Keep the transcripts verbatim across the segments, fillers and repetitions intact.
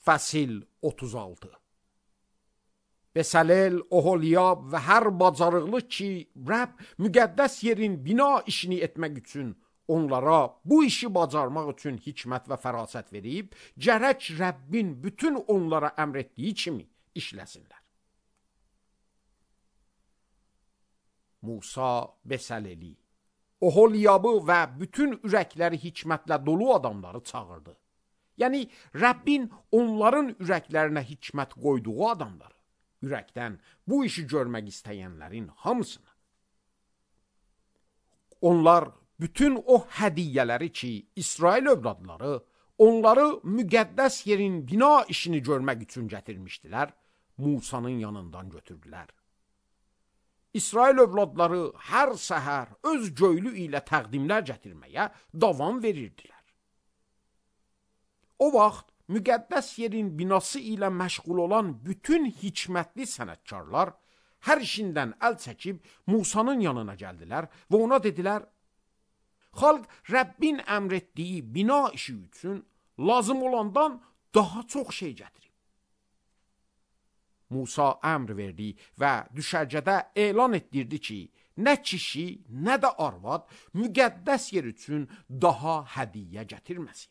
Fəsil otuz altı. Bəsəlel, Oholiyab və hər bacarıqlı ki, Rəbb müqəddəs yerin bina işini etmək üçün onlara bu işi bacarmaq üçün hikmət və fərasət verib, gərək Rəbbin bütün onlara əmr etdiyi kimi işləsinlər. Musa Bəsəleli, Oholiyabı və bütün ürəkləri hikmətlə dolu adamları çağırdı. Yəni, Rəbbin onların ürəklərinə hikmət qoyduğu adamları, ürəkdən bu işi görmək istəyənlərin hamısını. Onlar bütün o hədiyyələri ki, İsrail övladları onları müqəddəs yerin bina işini görmək üçün gətirmişdilər, Musanın yanından götürdülər. İsrail övladları hər səhər öz göylü ilə təqdimlər gətirməyə davam verirdilər. O vaxt müqəddəs yerin binası ilə məşğul olan bütün hikmətli sənətkarlar hər işindən əl çəkib Musanın yanına gəldilər və ona dedilər, xalq Rəbbin əmr etdiyi bina işi üçün lazım olandan daha çox şey gətirib. Musa əmr verdi və düşərgədə elan etdirdi ki, nə kişi, nə də arvad müqəddəs yer üçün daha hədiyyə gətirməsin.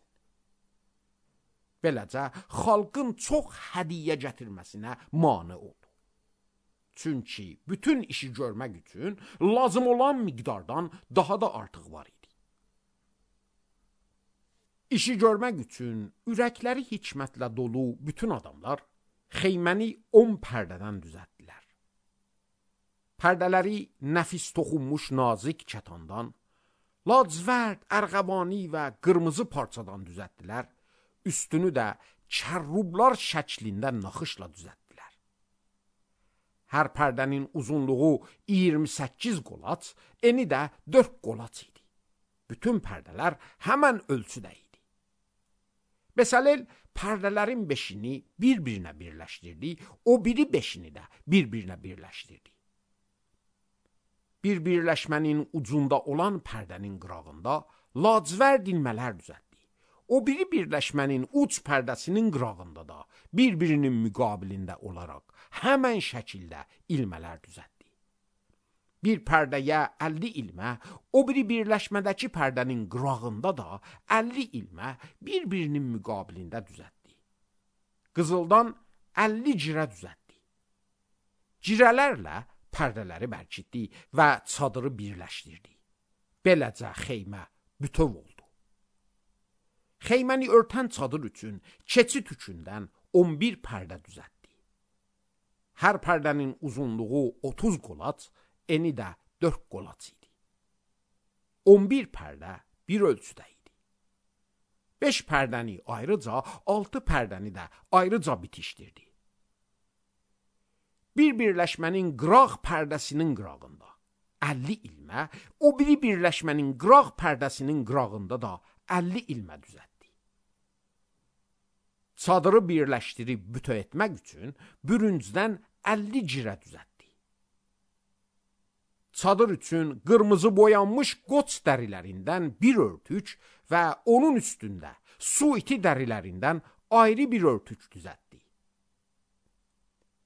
Beləcə, xalqın çox hədiyyə gətirməsinə mane oldu. Çünki bütün işi görmək üçün lazım olan miqdardan daha da artıq var idi. İşi görmək üçün ürəkləri hikmətlə dolu bütün adamlar xeyməni on pərdədən düzəltdilər. Pərdələri nəfis toxunmuş nazik kətandan, lacivərd, ərğəbani və qırmızı parçadan düzəltdilər. Üstünü də kərrublar şəklində naxışla düzəltdilər. Hər pərdənin uzunluğu iyirmi səkkiz qolaç, eni də dörd qolaç idi. Bütün pərdələr həmən ölçüdə idi. Bəsəlel pərdələrin beşini bir-birinə birləşdirdi, o biri beşini də bir-birinə birləşdirdi. Bir birləşmənin ucunda olan pərdənin qırağında lacivərd ilmələr düzəltdi. O biri birləşmənin uc pərdəsinin qırağında da bir-birinin müqabilində olaraq həmən şəkildə ilmələr düzəltdi. Bir pərdəyə əlli ilmə, o biri birləşmədəki pərdənin qırağında da əlli ilmə bir-birinin müqabilində düzəltdi. Qızıldan əlli cirə düzəltdi. Cirələrlə pərdələri bərkitdi və çadırı birləşdirdi. Beləcə xeymə bütöv oldu. Xeyməni örtən çadır üçün keçid üçündən on bir pərdə düzəltdi. Hər pərdənin uzunluğu otuz qolaç, eni də dörd qolaç idi. on bir pərdə bir ölçüdə idi. beş pərdəni ayrıca, altı pərdəni də ayrıca bitişdirdi. Bir birləşmənin qıraq pərdəsinin qırağında əlli ilmə, o biri birləşmənin qıraq pərdəsinin qırağında da əlli ilmə düzəltdi. Çadırı birləşdirib bütöv etmək üçün bürüncdən əlli cirə düzəltdi. Çadır üçün qırmızı boyanmış qoç dərilərindən bir örtük və onun üstündə su iti dərilərindən ayrı bir örtük düzəltdi.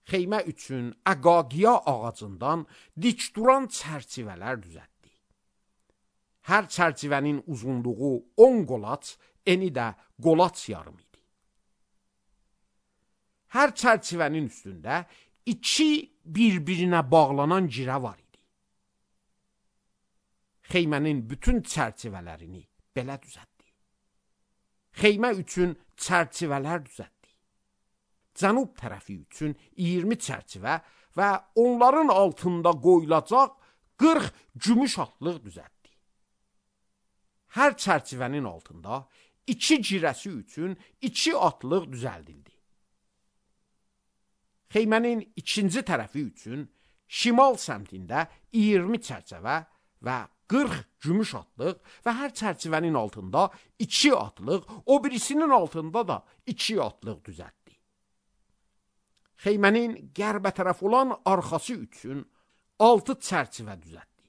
Xeymə üçün əqaqiya ağacından dik duran çərçivələr düzəltdi. Hər çərçivənin uzunluğu on qolaç, eni də qolaç yarım idi. Hər çərçivənin üstündə iki bir-birinə bağlanan girə var idi. Xeymənin bütün çərçivələrini belə düzəltdi. Xeymə üçün çərçivələr düzəltdi. Cənub tərəfi üçün iyirmi çərçivə və onların altında qoyulacaq qırx gümüş atlıq düzəltdi. Hər çərçivənin altında iki girəsi üçün iki atlıq düzəldildi. Xeymənin ikinci tərəfi üçün şimal səmtində iyirmi çərçivə və qırx gümüş atlıq və hər çərçivənin altında iki atlıq, o birisinin altında da iki atlıq düzəltdi. Xeymənin qərbə tərəf olan arxası üçün altı çərçivə düzəltdi.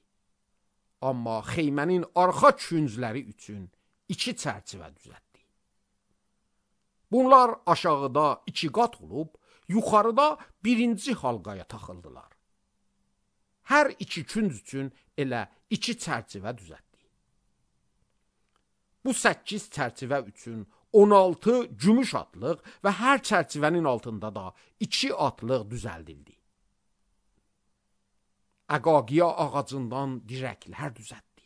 Amma xeymənin arxa küncləri üçün iki çərçivə düzəltdi. Bunlar aşağıda iki qat olub, yuxarıda birinci halqaya taxıldılar. Hər iki künc üçün elə iki çərçivə düzəltdi. Bu səkkiz çərçivə üçün on altı gümüş atlıq və hər çərçivənin altında da iki atlıq düzəldildi. Əqaqiya ağacından dirəklər düzəltdi.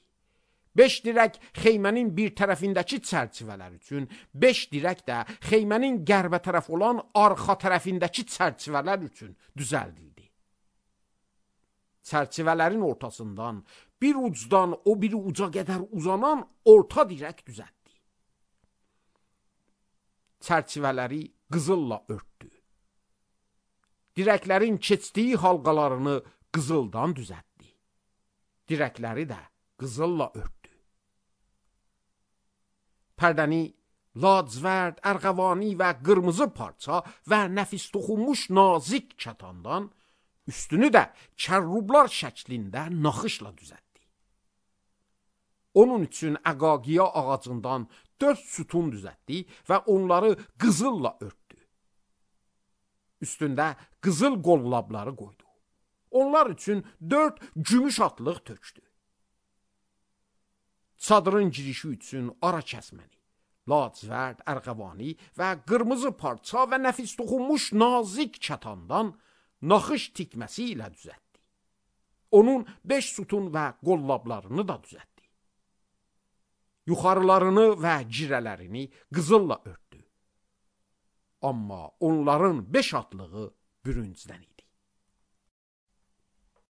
Beş dirək xeymənin bir tərəfindəki çərçivələr üçün, beş dirək də xeymənin qərbə tərəf olan arxa tərəfindəki çərçivələr üçün düzəldildi. Çərçivələrin ortasından bir ucdan o biri uca qədər uzanan orta dirək düzəltdi. Çərçivələri qızılla örtdü. Dirəklərin keçdiyi halqalarını qızıldan düzəltdi. Dirəkləri də qızılla örtdü. Pərdəni lacivərd, ərğəvani və qırmızı parça və nəfis toxunmuş nazik kətandan, üstünü də kərrublar şəklində naxışla düzəltdi. Onun üçün əqaqiya ağacından dörd sütun düzəltdi və onları qızılla örtdü. Üstündə qızıl qollabları qoydu. Onlar üçün dörd gümüş atlıq tökdü. Çadırın girişi üçün ara kəsməni, lacivərd, ərğəvani və qırmızı parça və nəfis toxunmuş nazik kətandan naxış tikməsi ilə düzəltdi. Onun beş sütun və qollablarını da düzəltdi. Yuxarılarını və girələrini qızılla örtdü. Amma onların beş atlığı bürüncdən idi.